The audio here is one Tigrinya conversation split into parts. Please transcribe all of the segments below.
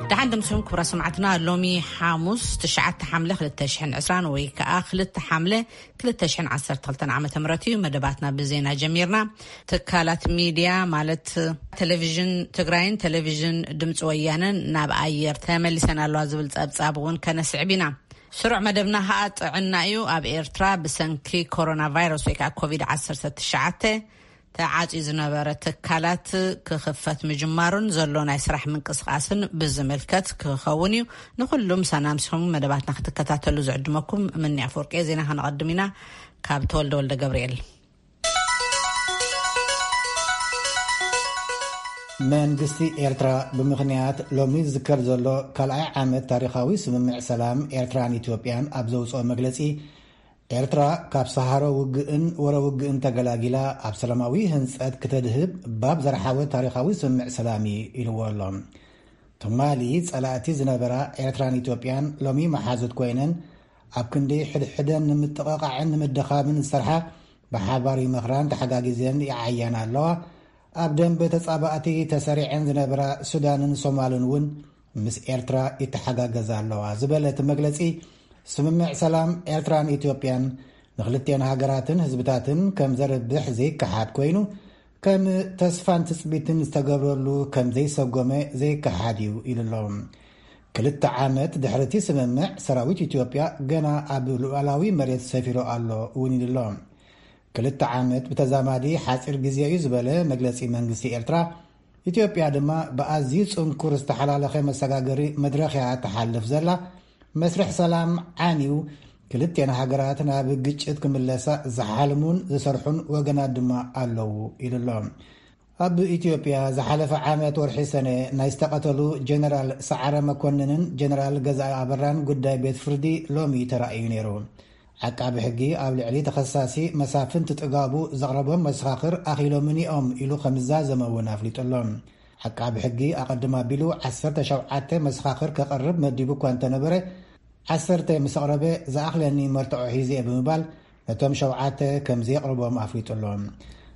ደሓን ደምሲኹም ክቡራት ሰማዕትና። ሎሚ ሓሙስ ትሽዓተ ሓምለ ክልተ ሽሕን ዕስራን ወይ ከኣ ክልተ ሓምለ ክልተ ሽሕን ዓሰርተ ክልተን ዓመተ ምህረት እዩ። መደባትና ብዜና ጀሚርና። ትካላት ሚድያ ማለት ቴሌቪዥን ትግራይን ቴሌቪዥን ድምፂ ወያነን ናብ ኣየር ተመሊሰን ኣለዋ ዝብል ጸብጻብ እውን ከነስዕብ ኢና። ስሩዕ መደብና ከኣ ጥዕና እዩ። ኣብ ኤርትራ ብሰንኪ ኮሮና ቫይረስ ወይ ከዓ ኮቪድ ዓሰርተ ትሽዓተ ተዓፅዩ ዝነበረ ትካላት ክኽፈት ምጅማሩን ዘሎ ናይ ስራሕ ምንቅስቃስን ብዝምልከት ክኸውን እዩ። ንኩሉ ምሳና ምሲኹም መደባትና ክትከታተሉ ዝዕድመኩም ምኒ ኣፈወርቂ። ዜና ከነቐድም ኢና። ካብ ተወልደ ወልደ ገብርኤል። መንግስቲ ኤርትራ ብምኽንያት ሎሚ ዝዝከር ዘሎ ካልኣይ ዓመት ታሪኻዊ ስምምዕ ሰላም ኤርትራን ኢትዮጵያን ኣብ ዘውፅኦ መግለፂ፣ ኤርትራ ካብ ሰሃሮ ውግእን ወረ ውግእን ተገላጊላ ኣብ ሰላማዊ ህንፀት ክተድህብ ባብ ዘርሓወ ታሪኻዊ ስምምዕ ሰላም እዩ ኢልዎ ኣሎ። ትማሊ ጸላእቲ ዝነበራ ኤርትራን ኢትዮጵያን ሎሚ መሓዙት ኮይነን ኣብ ክንዲ ሕድሕደን ንምጥቕቓዕን ንምድኻምን ዝሰርሓ፣ ብሓባር ይመኽራን ተሓጋጊዘን ይዓያና ኣለዋ። ኣብ ደንበ ተጻባእቲ ተሰሪዐን ዝነበራ ሱዳንን ሶማልን እውን ምስ ኤርትራ ይተሓጋገዛ ኣለዋ ዝበለ እቲ መግለጺ፣ ስምምዕ ሰላም ኤርትራን ኢትዮጵያን ንክልቴን ሃገራትን ህዝብታትን ከም ዘርብሕ ዘይከሓድ ኮይኑ፣ ከም ተስፋን ትጽቢትን ዝተገብረሉ ከም ዘይሰጎመ ዘይከሓድ እዩ ኢሉ ኣሎ። ክልተ ዓመት ድሕሪ እቲ ስምምዕ፣ ሰራዊት ኢትዮጵያ ገና ኣብ ሉዓላዊ መሬት ሰፊሩ ኣሎ እውን ኢሉ ኣሎ። ክልተ ዓመት ብተዛማዲ ሓጺር ግዜ እዩ ዝበለ መግለጺ መንግስቲ ኤርትራ፣ ኢትዮጵያ ድማ ብኣዝዩ ጽንኩር ዝተሓላለኸ መሰጋገሪ መድረኽ እያ ትሓልፍ ዘላ። መስርሕ ሰላም ዓንዩ፣ ክልቴን ሃገራት ናብ ግጭት ክምለሳ ዝሓልሙን ዝሰርሑን ወገናት ድማ ኣለዉ ኢሉ ኣሎ። ኣብ ኢትዮጵያ ዝሓለፈ ዓመት ወርሒ ሰነ ናይ ዝተቐተሉ ጀነራል ሰዓረ መኮንንን ጀነራል ገዛኢ ኣበራን ጉዳይ ቤት ፍርዲ ሎሚ ተራእዩ ነይሩ። ዓቃቢ ሕጊ ኣብ ልዕሊ ተኸሳሲ መሳፍንቲ ጥጋቡ ዘቕረቦም መሰኻኽር ኣኺሎምን እዮም ኢሉ ከም ዝዛዘመ እውን ኣፍሊጡ ኣሎ። ዓቃቢ ሕጊ ኣቐድም ኣቢሉ ዓሰርተ ሸውዓተ መሰኻኽር ከቕርብ መዲቡ እኳ እንተነበረ፣ ዓሰርተ ምስ ኣቕረበ ዝኣኽለኒ መርትዖ ሒዘ እየ ብምባል ነቶም ሸውዓተ ከም ዘየቕርቦም ኣፍሊጡ ኣሎ።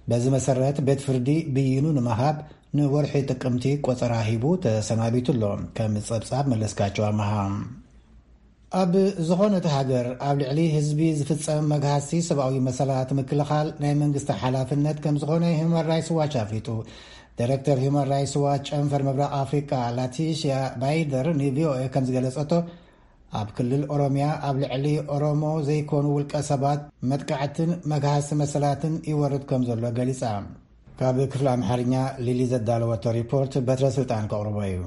በዚ መሰረት ቤት ፍርዲ ብይኑ ንምሃብ ንወርሒ ጥቅምቲ ቆጸራ ሂቡ ተሰናቢቱ ኣሎ። ከም ጸብጻብ መለስካቸው ኣመሃ። ኣብ ዝኾነት ሃገር ኣብ ልዕሊ ህዝቢ ዝፍጸም መግሃስቲ ሰብኣዊ መሰላት ምክልኻል ናይ መንግስቲ ሓላፍነት ከም ዝኾነ ሂውማን ራይትስ ዋች ኣፍሊጡ። ዳይሬክተር ሂውማን ራይትስ ዋች ጨንፈር ምብራቕ ኣፍሪቃ ላቲሽያ ባይደር ንቪኦኤ ከም ዝገለጸቶ፣ ኣብ ክልል ኦሮሚያ ኣብ ልዕሊ ኦሮሞ ዘይኮኑ ውልቀ ሰባት መጥቃዕትን መግሃስቲ መሰላትን ይወርድ ከም ዘሎ ገሊጻ። ካብ ክፍሊ ኣምሓርኛ ሊሊ ዘዳለወቶ ሪፖርት በትረ ስልጣን ከቕርቦ እዩ።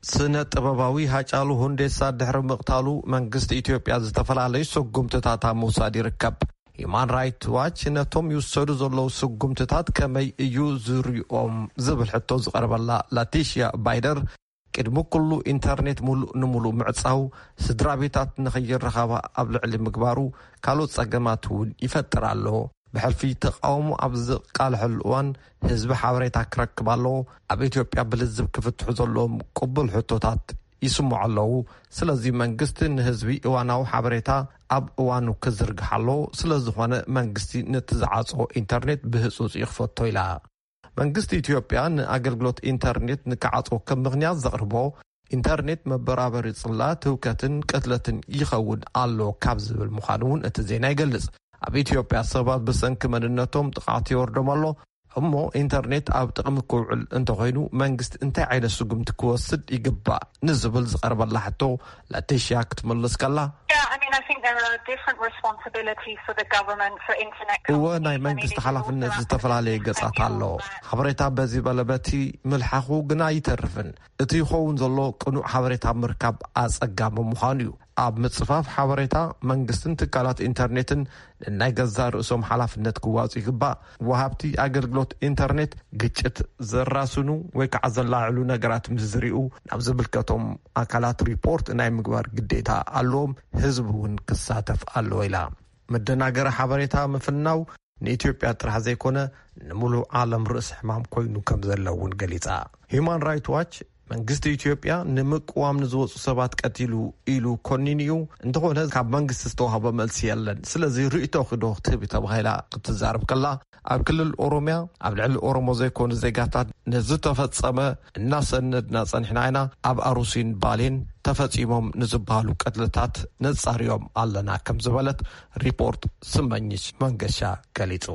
ስነ ጥበባዊ ሃጫሉ ሁንዴሳ ድሕሪ ምቕታሉ መንግስቲ ኢትዮጵያ ዝተፈላለዩ ስጉምትታት ኣብ ምውሳድ ይርከብ። ሂዩማን ራይት ዋች ነቶም ይውሰዱ ዘለዉ ስጉምትታት ከመይ እዩ ዝሪኦም ዝብል ሕቶ ዝቐርበላ ላቲሽያ ባይደር፣ ቅድሚ ኩሉ ኢንተርኔት ሙሉእ ንሙሉእ ምዕጻው፣ ስድራ ቤታት ንኸይረኸባ ኣብ ልዕሊ ምግባሩ ካልኦት ጸገማት እውን ይፈጥር ኣሎ። ብሕልፊ ተቃውሞ ኣብ ዝቃልሐሉ እዋን ህዝቢ ሓበሬታ ክረክብ ኣለዎ። ኣብ ኢትዮጵያ ብልዝብ ክፍትሑ ዘለዎም ቅቡል ሕቶታት ይስምዑ ኣለዉ። ስለዚ መንግስቲ ንህዝቢ እዋናዊ ሓበሬታ ኣብ እዋኑ ክዝርግሕ ኣለዎ። ስለዝኾነ መንግስቲ ነቲ ዝዓጽዎ ኢንተርኔት ብህጹጽ ይኽፈቶ ኢላ። መንግስቲ ኢትዮጵያ ንኣገልግሎት ኢንተርኔት ንክዓጽዎ ከም ምኽንያት ዘቕርቦ፣ ኢንተርኔት መበራበሪ ጽላ ትውከትን ቅትለትን ይኸውን ኣሎ ካብ ዝብል ምዃኑ እውን እቲ ዜና ይገልጽ። ኣብ ኢትዮጵያ ሰባት ብሰንኪ መንነቶም ጥቕዓት ይወርዶም ኣሎ። እሞ ኢንተርኔት ኣብ ጥቕሚ ክውዕል እንተኾይኑ መንግስቲ እንታይ ዓይነት ስጉምቲ ክወስድ ይግባእ ንዝብል ዝቐርበላ ሕቶ ላቲሽያ ክትምልስ ከላ፣ Yeah, I mean, I think there are different responsibilities for the government for internet እወ፣ ናይ መንግስቲ ሓላፍነት ዝተፈላለየ ገጻት ኣሎ። ሓበሬታ በዚ በለ በቲ ምልሓኹ ግና ኣይተርፍን። እቲ ይኸውን ዘሎ ቅኑዕ ሓበሬታ ምርካብ ኣጸጋሚ ምዃኑ እዩ። ኣብ ምጽፋፍ ሓበሬታ መንግስትን ትካላት ኢንተርኔትን ንናይ ገዛእ ርእሶም ሓላፍነት ክዋጹ ይግባእ። ወሃብቲ ኣገልግሎት ኢንተርኔት ግጭት ዘራስኑ ወይ ከዓ ዘላዕሉ ነገራት ምስ ዝሪኡ ናብ ዝምልከቶም ኣካላት ሪፖርት ናይ ምግባር ግዴታ ኣለዎም። ህዝቢ እውን ክሳተፍ ኣለዎ ኢላ። መደናገሪ ሓበሬታ ምፍናው ንኢትዮጵያ ጥራሕ ዘይኮነ ንምሉእ ዓለም ርእሲ ሕማም ኮይኑ ከም ዘሎ እውን ገሊጻ። ሂዩማን ራይት ዋች መንግስቲ ኢትዮጵያ ንምቅዋም ንዝወፁ ሰባት ቀቲሉ ኢሉ ኮኒኑ እዩ። እንተኾነ ካብ መንግስቲ ዝተዋህበ መልሲ የለን። ስለዚ ርእይቶኺ ዶ ክትህቢ ተባሂላ ክትዛረብ ከላ፣ ኣብ ክልል ኦሮሚያ ኣብ ልዕሊ ኦሮሞ ዘይኮኑ ዜጋታት ንዝተፈጸመ እናሰነድና ጸኒሕና ኢና። ኣብ ኣሩሲን ባሌን ተፈጺሞም ንዝበሃሉ ቅትለታት ነጻርዮም ኣለና ከም ዝበለት ሪፖርት ስመኝሽ መንገሻ ገሊጹ።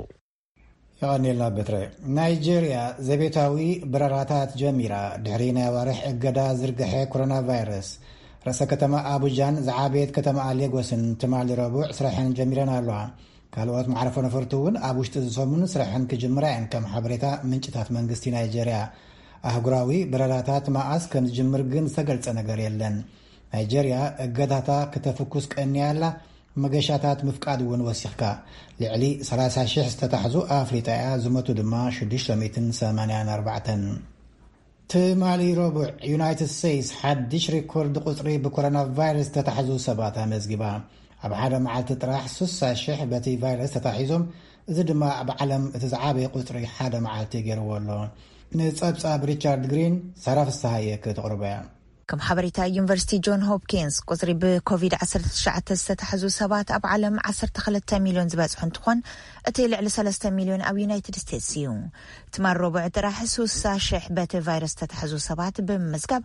የቐንየልና በትረ። ናይጄርያ ዘቤታዊ በረራታት ጀሚራ፣ ድሕሪ ናይ ኣዋርሕ እገዳ ዝርግሐ ኮሮና ቫይረስ። ርእሰ ከተማ ኣቡጃን ዝዓበየት ከተማ ሌጎስን ትማሊ ረቡዕ ስራሐን ጀሚረን ኣለዋ። ካልኦት መዕረፎ ነፈርቲ እውን ኣብ ውሽጢ እዚ ሰሙን ስራሐን ክጅምራ እየን፣ ከም ሓበሬታ ምንጭታት መንግስቲ ናይጄርያ። ኣህጉራዊ በረራታት መኣስ ከም ዝጅምር ግን ዝተገልጸ ነገር የለን። ናይጄርያ እገዳታ ክተፍኩስ ቀንያ ኣላ። መገሻታት ምፍቃድ እውን ወሲኽካ። ልዕሊ ሰላሳ ሽሕ ዝተታሕዙ ኣፍሊጣ እያ፣ ዝሞቱ ድማ ሽዱሽተ ሚእትን ሰማንያን ኣርባዕተን። ትማሊ ረቡዕ ዩናይትድ ስቴትስ ሓድሽ ሪኮርድ ቁጽሪ ብኮሮና ቫይረስ ዝተታሕዙ ሰባት ኣመዝጊባ። ኣብ ሓደ መዓልቲ ጥራሕ ስሳ ሽሕ በቲ ቫይረስ ተታሒዞም፣ እዚ ድማ ኣብ ዓለም እቲ ዝዓበየ ቁጽሪ ሓደ መዓልቲ ገይርዎ ኣሎ። ንጸብጻብ ሪቻርድ ግሪን ሳራ ፍስሃየ ከተቕርቦ እያ። ከም ሓበሬታ ዩኒቨርሲቲ ጆን ሆፕኪንስ፣ ቁጽሪ ብኮቪድ ዓሰርተ ትሽዓተ ዝተታሕዙ ሰባት ኣብ ዓለም ዓሰርተ ክልተ ሚልዮን ዝበጽሑ እንትኾን፣ እቲ ልዕሊ ሰለስተ ሚልዮን ኣብ ዩናይትድ ስቴትስ እዩ። ትማል ረቡዕ ጥራሕ ስሳ ሽሕ በቲ ቫይረስ ዝተታሕዙ ሰባት ብምምዝጋብ፣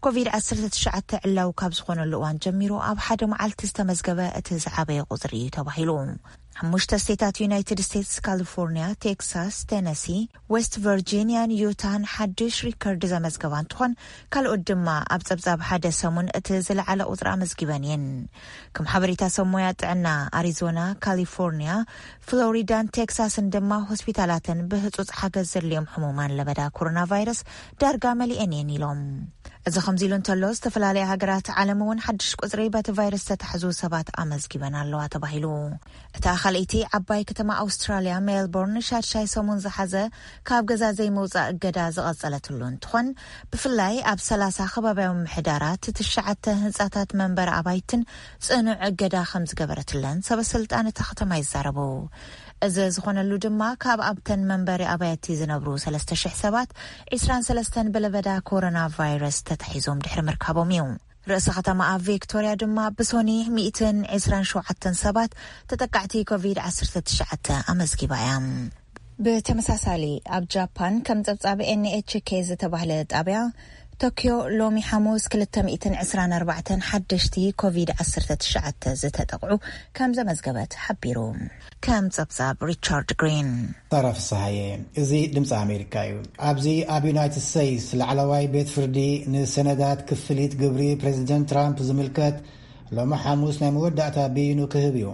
ኮቪድ ዓሰርተ ትሽዓተ ዕላዊ ካብ ዝኾነሉ እዋን ጀሚሩ ኣብ ሓደ መዓልቲ ዝተመዝገበ እቲ ዝዓበየ ቁጽሪ እዩ ተባሂሉ። ሓሙሽተ ስቴታት ዩናይትድ ስቴትስ፣ ካሊፎርኒያ፣ ቴክሳስ፣ ቴነሲ፣ ዌስት ቨርጂኒያን ዩታን ሓድሽ ሪከርድ ዘመዝገባ እንትኾን፣ ካልኦት ድማ ኣብ ጸብጻብ ሓደ ሰሙን እቲ ዝለዓለ ቁጽሪ ኣመዝጊበን እየን። ከም ሓበሬታ ሰብ ሞያ ጥዕና፣ ኣሪዞና፣ ካሊፎርኒያ፣ ፍሎሪዳን ቴክሳስን ድማ ሆስፒታላተን ብህጹጽ ሓገዝ ዘድልዮም ሕሙማን ለበዳ ኮሮና ቫይረስ ዳርጋ መሊኤን እየን ኢሎም። እዚ ከምዚ ኢሉ እንተሎ፣ ዝተፈላለያ ሃገራት ዓለም እውን ሓድሽ ቁጽሪ በቲ ቫይረስ ዝተታሕዙ ሰባት ኣመዝጊበን ኣለዋ ተባሂሉ። እታ ካልኣይቲ ዓባይ ከተማ ኣውስትራልያ ሜልቦርን ሻድሻይ ሰሙን ዝሓዘ ካብ ገዛ ዘይምውጻእ እገዳ ዝቐጸለትሉ እንትኾን፣ ብፍላይ ኣብ ሰላሳ ከባብያዊ ምሕዳራት ትሽዓተ ህንጻታት መንበሪ ኣባይትን ጽኑዕ እገዳ ከም ዝገበረትለን ሰበስልጣን እታ ከተማ ይዛረቡ። እዚ ዝኾነሉ ድማ ካብ ኣብተን መንበሪ ኣባይቲ ዝነብሩ ሰለስተ ሽሕ ሰባት ዒስራን ሰለስተን ብለበዳ ኮሮና ቫይረስ ተታሒዞም ድሕሪ ምርካቦም እዩ። ርእሰ ከተማ ኣብ ቪክቶርያ ድማ ብሶኒ ሚእትን ዕስራን ሸውዓተን ሰባት ተጠቃዕቲ ኮቪድ ዓሰርተ ትሽዓተ ኣመዝጊባ እያ። ብተመሳሳሊ ኣብ ጃፓን ከም ጸብጻብ ኤንኤችኬ ዝተባህለ ጣብያ ቶኪዮ ሎሚ ሓሙስ ክልተ ሚእትን ዕስራን ኣርባዕተን ሓደሽቲ ኮቪድ ዓሰርተ ትሽዓተ ዝተጠቕዑ ከም ዘመዝገበት ሓቢሩ። ከም ጸብጻብ ሪቻርድ ግሪን። ሳራ ፍስሃየ። እዚ ድምፂ ኣሜሪካ እዩ። ኣብዚ ኣብ ዩናይትድ ስቴትስ ላዕለዋይ ቤት ፍርዲ ንሰነዳት ክፍሊት ግብሪ ፕሬዚደንት ትራምፕ ዝምልከት ሎሚ ሓሙስ ናይ መወዳእታ ብይኑ ክህብ እዩ።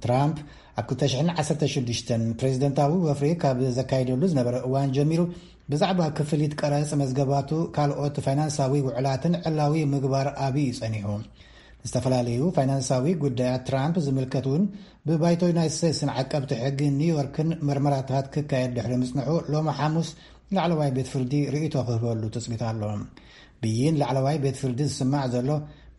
ትራምፕ ኣብ ክልተ ሽሕን ዓሰርተ ሽዱሽተን ፕሬዚደንታዊ ወፍሪ ካብ ዘካይደሉ ዝነበረ እዋን ጀሚሩ ብዛዕባ ክፍሊት ቀረጽ መዝገባቱ ካልኦት ፋይናንሳዊ ውዕላትን ዕላዊ ምግባር ኣብዩ ጸኒሑ። ዝተፈላለዩ ፋይናንሳዊ ጉዳያት ትራምፕ ዝምልከት እውን ብባይቶ ዩናይትድ ስቴትስን ዓቀብቲ ሕጊ ኒውዮርክን መርመራታት ክካየድ ድሕሪ ምጽንሑ ሎሚ ሓሙስ ላዕለዋይ ቤት ፍርዲ ርእይቶ ክህበሉ ትጽቢት ኣሎ። ብይን ላዕለዋይ ቤት ፍርዲ ዝስማዕ ዘሎ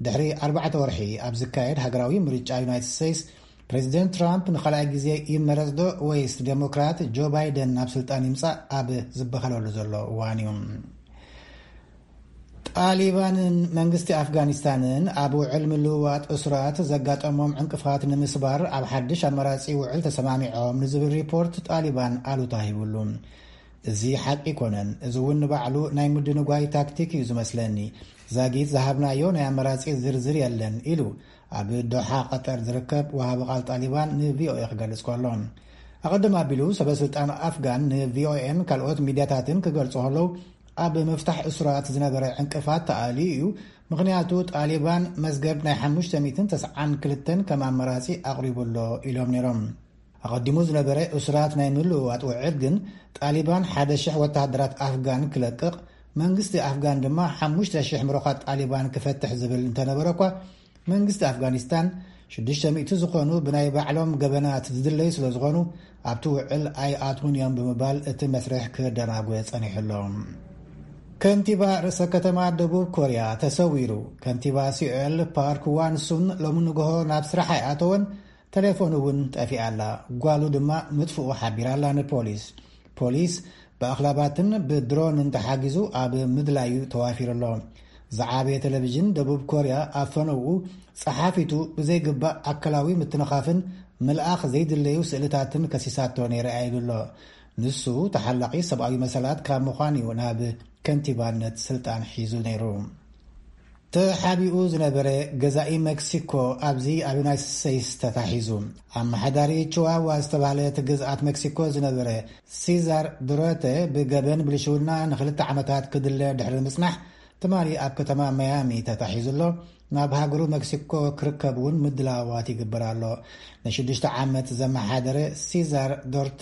ድሕሪ ኣርባዕተ ወርሒ ኣብ ዝካየድ ሃገራዊ ምርጫ ዩናይትድ ስቴትስ ፕሬዚደንት ትራምፕ ንኻልኣይ ግዜ ይመረጽ ዶ ወይስ ዴሞክራት ጆ ባይደን ናብ ስልጣን ይምጻእ ኣብ ዝበሃለሉ ዘሎ እዋን እዩ። ጣሊባንን መንግስቲ ኣፍጋኒስታንን ኣብ ውዕል ምልውዋጥ እሱራት ዘጋጠሞም ዕንቅፋት ንምስባር ኣብ ሓድሽ ኣማራጺ ውዕል ተሰማሚዖም ንዝብል ሪፖርት ጣሊባን ኣሉታ ሂብሉ። እዚ ሓቂ ኣይኮነን፣ እዚ እውን ንባዕሉ ናይ ምድንጓይ ታክቲክ እዩ ዝመስለኒ። ዛጊት ዝሃብናዮ ናይ ኣማራጺ ዝርዝር የለን ኢሉ ኣብ ዶሓ ቀጠር ዝርከብ ወሃቢ ቃል ጣሊባን ንቪኦኤ ክገልጽ ከሎ፣ ኣቐድም ኣቢሉ ሰበ ስልጣን ኣፍጋን ንቪኦኤን ካልኦት ሚድያታትን ክገልጹ ከለዉ፣ ኣብ ምፍታሕ እሱራት ዝነበረ ዕንቅፋት ተኣልዩ እዩ። ምኽንያቱ ጣሊባን መዝገብ ናይ ሓሙሽተ ሚእትን ተስዓን ክልተን ከም ኣማራጺ ኣቕሪቡ ኣሎ ኢሎም ነይሮም። ኣቐዲሙ ዝነበረ እሱራት ናይ ምልውዋጥ ውዕል ግን ጣሊባን ሓደ ሽሕ ወተሃደራት ኣፍጋን ክለቅቕ፣ መንግስቲ ኣፍጋን ድማ ሓሙሽተ ሽሕ ምሩኻት ጣሊባን ክፈትሕ ዝብል እንተነበረ እኳ፣ መንግስቲ ኣፍጋኒስታን ሽዱሽተ ሚእቲ ዝኾኑ ብናይ ባዕሎም ገበናት ዝድለዩ ስለ ዝኾኑ ኣብቲ ውዕል ኣይኣትዉን እዮም ብምባል እቲ መስርሕ ክደናጎ ጸኒሑ ኣሎ። ከንቲባ ርእሰ ከተማ ደቡብ ኮርያ ተሰዊሩ። ከንቲባ ሲኦል ፓርክ ዋንሱን ሎሚ ንግሆ ናብ ስራሕ ኣይኣተወን፣ ተሌፎኑ እውን ጠፊኣ ኣላ። ጓሉ ድማ ምጥፍኡ ሓቢራ ኣላ ንፖሊስ። ፖሊስ ብኣኽላባትን ብድሮንን ተሓጊዙ ኣብ ምድላዩ ተዋፊሩ ኣሎ። ዝዓበየ ቴሌቪዥን ደቡብ ኮርያ ኣብ ፈነውኡ ጸሓፊቱ ብዘይግባእ ኣካላዊ ምትንኻፍን ምልኣኽ ዘይድለዩ ስእልታትን ከሲሳቶ ነይረ ኢሉ ኣሎ። ንሱ ተሓላቒ ሰብኣዊ መሰላት ካብ ምዃን እዩ ናብ ከንቲባነት ስልጣን ሒዙ ነይሩ። ተሓቢኡ ዝነበረ ገዛኢ ሜክሲኮ ኣብዚ ኣብ ዩናይትድ ስቴትስ ተታሒዙ። ኣመሓዳሪ ቺዋዋ ዝተባህለት ግዝኣት ሜክሲኮ ዝነበረ ሲዛር ዱረተ ብገበን ብልሽውና ንክልተ ዓመታት ክድለ ድሕሪ ምጽናሕ ትማሊ ኣብ ከተማ ማያሚ ተታሒዙ ኣሎ። ናብ ሃገሩ ሜክሲኮ ክርከብ እውን ምድላዋት ይግበር ኣሎ። ንሽዱሽተ ዓመት ዘመሓደረ ሲዛር ዶርተ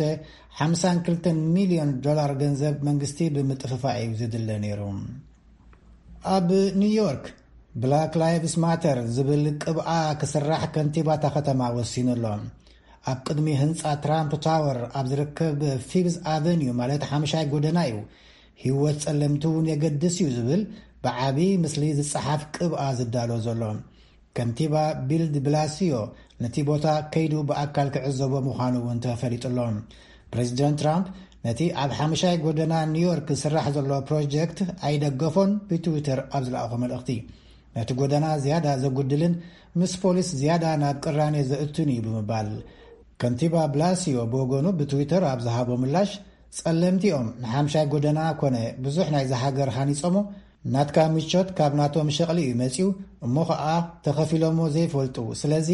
ሓምሳን ክልተን ሚልዮን ዶላር ገንዘብ መንግስቲ ብምጥፍፋእ እዩ ዝድለ ነይሩ። ኣብ ኒውዮርክ ብላክ ላይቭስ ማተር ዝብል ቅብኣ ክስራሕ ከንቲባ እታ ከተማ ወሲኑ ኣሎ። ኣብ ቅድሚ ህንጻ ትራምፕ ታወር ኣብ ዝርከብ ፊፍዝ ኣቨኒዩ ማለት ሓምሻይ ጎደና እዩ። ህይወት ጸለምቲ እውን የገድስ እዩ ዝብል ብዓቢ ምስሊ ዝጸሓፍ ቅብኣ ዝዳሎ ዘሎ። ከንቲባ ቢል ዲ ብላሲዮ ነቲ ቦታ ከይዱ ብኣካል ክዕዘቦ ምዃኑ እውን ተፈሊጡ ኣሎ። ፕሬዚደንት ትራምፕ ነቲ ኣብ ሓምሻይ ጎደና ኒውዮርክ ዝስራሕ ዘሎ ፕሮጀክት ኣይደገፎን ብትዊተር ኣብ ዝለኣኾ መልእኽቲ። ነቲ ጎደና ዝያዳ ዘጉድልን ምስ ፖሊስ ዝያዳ ናብ ቅራኔ ዘእቱን እዩ ብምባል ከንቲባ ብላሲዮ ብወገኑ ብትዊተር ኣብ ዝሃቦ ምላሽ፣ ጸለምቲኦም ንሓምሻይ ጎደና ኮነ ብዙሕ ናይዚ ሃገር ሃኒጾሞ ናትካ ምቾት ካብ ናቶም ሸቕሊ እዩ መጺኡ፣ እሞ ኸኣ ተኸፊሎሞ ዘይፈልጡ። ስለዚ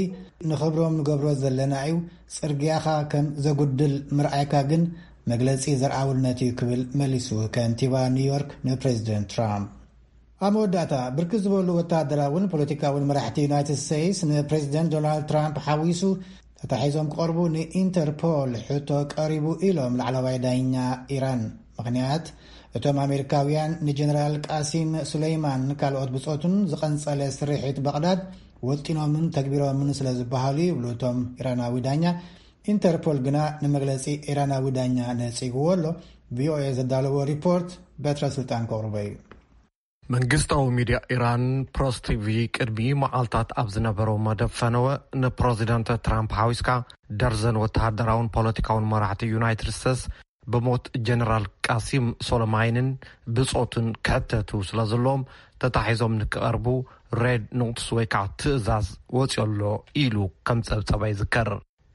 ንኽብሮም ንገብሮ ዘለና እዩ። ጽርግያኻ ከም ዘጉድል ምርኣይካ ግን መግለጺ ዘርኣውነት እዩ ክብል መሊሱ ከንቲባ ኒውዮርክ ንፕሬዚደንት ትራምፕ። ኣብ መወዳእታ ብርክት ዝበሉ ወታደራውን ፖለቲካውን መራሕቲ ዩናይትድ ስቴትስ ንፕሬዚደንት ዶናልድ ትራምፕ ሓዊሱ ተታሒዞም ክቐርቡ ንኢንተርፖል ሕቶ ቀሪቡ ኢሎም ላዕለዋይ ዳኛ ኢራን። ምኽንያት እቶም ኣሜሪካውያን ንጀነራል ቃሲም ሱለይማን ካልኦት ብጾቱን ዝቐንጸለ ስርሒት በቕዳድ ወጢኖምን ተግቢሮምን ስለ ዝበሃሉ ይብሉ እቶም ኢራናዊ ዳኛ። ኢንተርፖል ግና ንመግለጺ ኢራናዊ ዳኛ ነጺግዎ ኣሎ። ቪኦኤ ዘዳለዎ ሪፖርት በትረ ስልጣን ከቕርቦ እዩ። መንግስታዊ ሚድያ ኢራን ፕረስ ቲቪ ቅድሚ መዓልታት ኣብ ዝነበረው መደብ ፈነወ ንፕረዚደንት ትራምፕ ሓዊስካ ደርዘን ወተሃደራውን ፖለቲካውን መራሕቲ ዩናይትድ ስቴትስ ብሞት ጀነራል ቃሲም ሶሎማይንን ብጾቱን ክሕተቱ ስለ ዘለዎም ተታሒዞም ንክቐርቡ ሬድ ኖትስ ወይ ከዓ ትእዛዝ ወፂኦ ኣሎ ኢሉ ከም ጸብጸባ ይዝከር።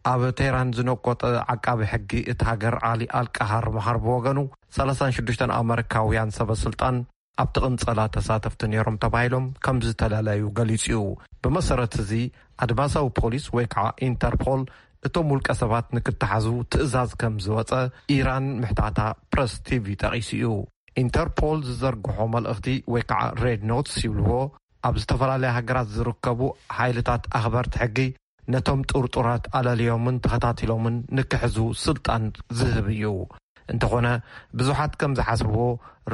ኣብ ቴህራን ዝነቆጠ ዓቃቢ ሕጊ እቲ ሃገር ዓሊ ኣልቃሃር መሃር ብወገኑ ሰላሳን ሽዱሽተን ኣመሪካውያን ሰበ ስልጣን ኣብቲ ቅንጸላ ተሳተፍቲ ነይሮም ተባሂሎም ከም ዝተለለዩ ገሊጹ እዩ። ብመሰረት እዚ ኣድማሳዊ ፖሊስ ወይ ከዓ ኢንተርፖል እቶም ውልቀ ሰባት ንክተሓዙ ትእዛዝ ከም ዝወጸ ኢራን ምሕታታ ፕረስ ቲቪ ጠቒሱ እዩ። ኢንተርፖል ዝዘርግሖ መልእኽቲ ወይ ከዓ ሬድ ኖትስ ይብልዎ ኣብ ዝተፈላለያ ሃገራት ዝርከቡ ሓይልታት ኣኽበርቲ ሕጊ ነቶም ጥርጡራት ኣለልዮምን ተኸታቲሎምን ንክሕዙ ስልጣን ዝህብ እዩ። እንተኾነ ብዙሓት ከም ዝሓስብዎ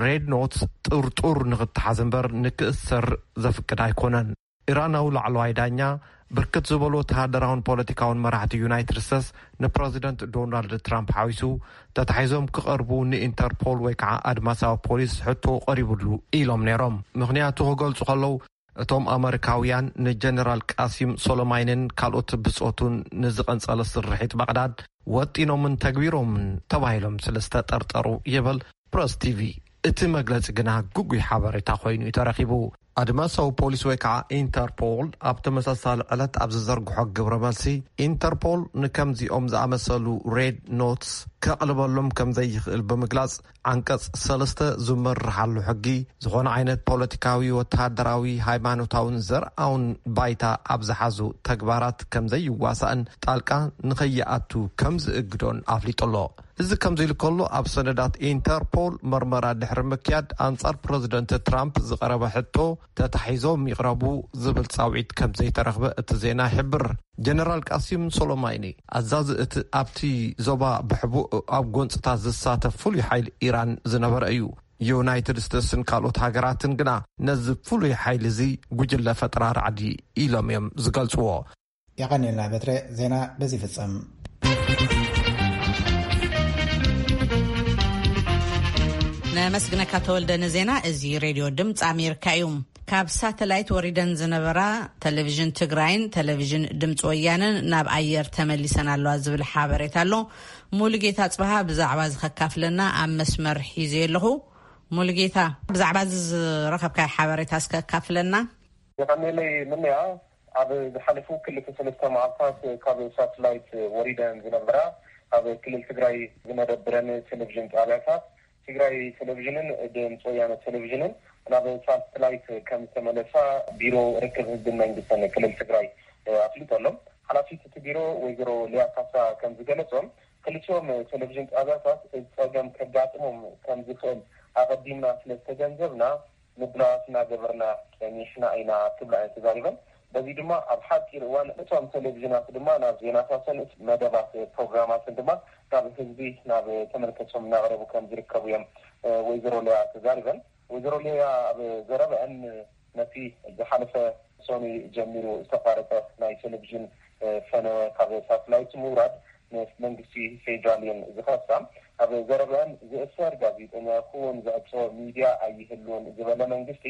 ሬድ ኖትስ ጥርጡር ንክተሓዝ እምበር ንክእሰር ዘፍቅድ ኣይኮነን። ኢራናዊ ላዕለዋይ ዳኛ ብርክት ዝበሉ ወተሃደራውን ፖለቲካውን መራሕቲ ዩናይትድ ስቴትስ ንፕረዚደንት ዶናልድ ትራምፕ ሓዊሱ ተታሒዞም ክቐርቡ ንኢንተርፖል ወይ ከዓ ኣድማሳዊ ፖሊስ ሕቶ ቀሪቡሉ ኢሎም ነይሮም። ምኽንያቱ ክገልጹ ከለዉ እቶም ኣመሪካውያን ንጀነራል ቃሲም ሶሎማይንን ካልኦት ብጾቱን ንዝቐንጸለ ስርሒት ባቕዳድ ወጢኖምን ተግቢሮምን ተባሂሎም ስለ ዝተጠርጠሩ ይብል ፕረስ ቲቪ። እቲ መግለጺ ግና ግጉይ ሓበሬታ ኮይኑ እዩ ተረኺቡ። ኣድማሳዊ ፖሊስ ወይ ከዓ ኢንተርፖል ኣብ ተመሳሳሊ ዕለት ኣብ ዝዘርግሖ ግብረ መልሲ ኢንተርፖል ንከምዚኦም ዝኣመሰሉ ሬድ ኖትስ ከቕልበሎም ከም ዘይኽእል ብምግላጽ ዓንቀጽ ሰለስተ ዝመርሓሉ ሕጊ ዝኾነ ዓይነት ፖለቲካዊ፣ ወተሃደራዊ፣ ሃይማኖታውን ዘርኣውን ባይታ ኣብ ዝሓዙ ተግባራት ከም ዘይዋሳእን ጣልቃ ንኸይኣቱ ከም ዝእግዶን ኣፍሊጡ ኣሎ። እዚ ከምዚ ኢሉ ከሎ ኣብ ሰነዳት ኢንተርፖል መርመራ ድሕሪ ምክያድ ኣንጻር ፕረዚደንት ትራምፕ ዝቐረበ ሕቶ ተታሒዞም ይቕረቡ ዝብል ጻውዒት ከም ዘይተረኽበ እቲ ዜና ይሕብር። ጀነራል ቃሲም ሶሎማይኒ ኣዛዚ እቲ ኣብቲ ዞባ ብሕቡእ ኣብ ጎንጽታት ዝሳተፍ ፍሉይ ሓይሊ ኢራን ዝነበረ እዩ። ዩናይትድ ስቴትስን ካልኦት ሃገራትን ግና ነዚ ፍሉይ ሓይሊ እዚ ጉጅለ ፈጠራ ራዕዲ ኢሎም እዮም ዝገልጽዎ። የቐኔልና በትረ። ዜና በዚ ይፍጸም። ነመስግነካ ተወልደ ንዜና። እዚ ሬድዮ ድምፂ ኣሜሪካ እዩ። ካብ ሳተላይት ወሪደን ዝነበራ ቴሌቪዥን ትግራይን ቴሌቪዥን ድምፂ ወያነን ናብ ኣየር ተመሊሰን ኣለዋ ዝብል ሓበሬታ ኣሎ። ሙሉጌታ ጽብሃ ብዛዕባ እዚ ከካፍለና ኣብ መስመር ሒዘዮ ኣለኹ። ሙሉጌታ፣ ብዛዕባ እዚ ዝረኸብካዮ ሓበሬታ እስከ ኣካፍለና። የቐንየለይ ምንያ። ኣብ ዝሓለፉ ክልተ ሰለስተ መዓልታት ካብ ሳተላይት ወሪደን ዝነበራ ኣብ ክልል ትግራይ ዝመደብረን ቴሌቪዥን ጣብያታት ትግራይ ቴሌቪዥንን ድምፂ ወያነ ቴሌቪዥንን ናብ ሳተላይት ከም ዝተመለሳ ቢሮ ርክብ ህዝብን መንግስትን ክልል ትግራይ ኣፍሊጡ ኣሎ። ሓላፊት እቲ ቢሮ ወይዘሮ ሊያ ካሳ ከም ዝገለጾም፣ ክልቲኦም ቴሌቪዥን ጣብያታት እዚ ጸገም ከጋጥሞም ከም ዝኽእል ኣቐዲምና ስለ ዝተገንዘብና ምድላዋት እናገበርና ጸኒሕና ኢና ክብላ እየን ተዛሪበን። በዚ ድማ ኣብ ሓፂር እዋን እቶም ቴሌቪዥናት ድማ ናብ ዜናታትን መደባት ፕሮግራማትን ድማ ናብ ህዝቢ ናብ ተመልከቶም እናቕረቡ ከም ዝርከቡ እዮም ወይዘሮ ሊያ ተዛሪበን። ወይዘሮ ሊያ ኣብ ዘረበአን ነቲ ዝሓለፈ ሰኑይ ጀሚሩ ዝተቋረጸ ናይ ቴሌቪዥን ፈነወ ካብ ሳትላይት ምውራድ ምስ መንግስቲ ፌዴራል እየን ዝኸሳ። ኣብ ዘረበአን ዝእሰር ጋዜጠኛ ይኹን ዝዕጾ ሚድያ ኣይህልውን ዝበለ መንግስቲ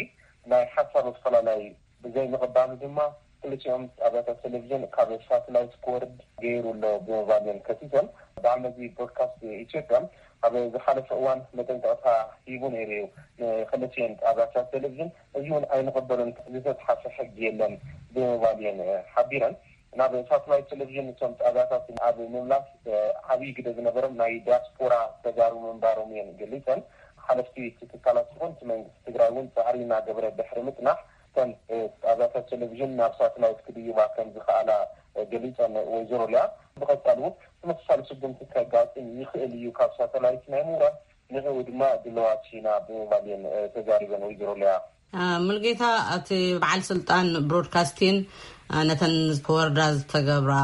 ናይ ሓሳብ ኣፈላላይ ብዘይ ምቕባሉ ድማ ክልቲኦም ጣብያታት ቴሌቪዥን ካብ ሳትላይት ክወርድ ገይሩ ኣሎ ብምባል እየን ከሲሰን። በዓል መዚ ብሮድካስት ኢትዮጵያ ኣብ ዝሓለፈ እዋን መጠንቀቕታ ሂቡ ነይሩ እዩ ንክልቲኦም ጣብያታት ቴሌቪዥን። እዚ እውን ኣይንቕበሉን፣ ዝተፅሓፈ ሕጊ የለን ብምባል እየን ሓቢረን። ናብ ሳትላይት ቴሌቪዥን እቶም ጣብያታት ኣብ ምምላስ ዓብዪ ግደ ዝነበሮም ናይ ዲያስፖራ ተጋሩ ምንባሮም እየን ገሊፀን። ሓለፍቲ እቲ ትካላት ይኹን እቲ መንግስቲ ትግራይ እውን ፃዕሪ እናገበረ ድሕሪ ምፅናሕ እተን ጣብያታት ቴሌቪዥን ናብ ሳትላይት ክድይባ ከም ዝኸኣላ ገሊፀን ወይዘሮ ሊያ። ብቐፃሊ እውን ተመሳሳሊ ስጉምቲ ከጋጥም ይኽእል እዩ ካብ ሳተላይት ናይ ምውራድ፣ ንዕኡ ድማ ድለዋት ኢና ብምባል እየን ተዛሪበን ወይዘሮ ሊያ። ሙልጌታ፣ እቲ በዓል ስልጣን ብሮድካስቲን ነተን ክወርዳ ዝተገብራ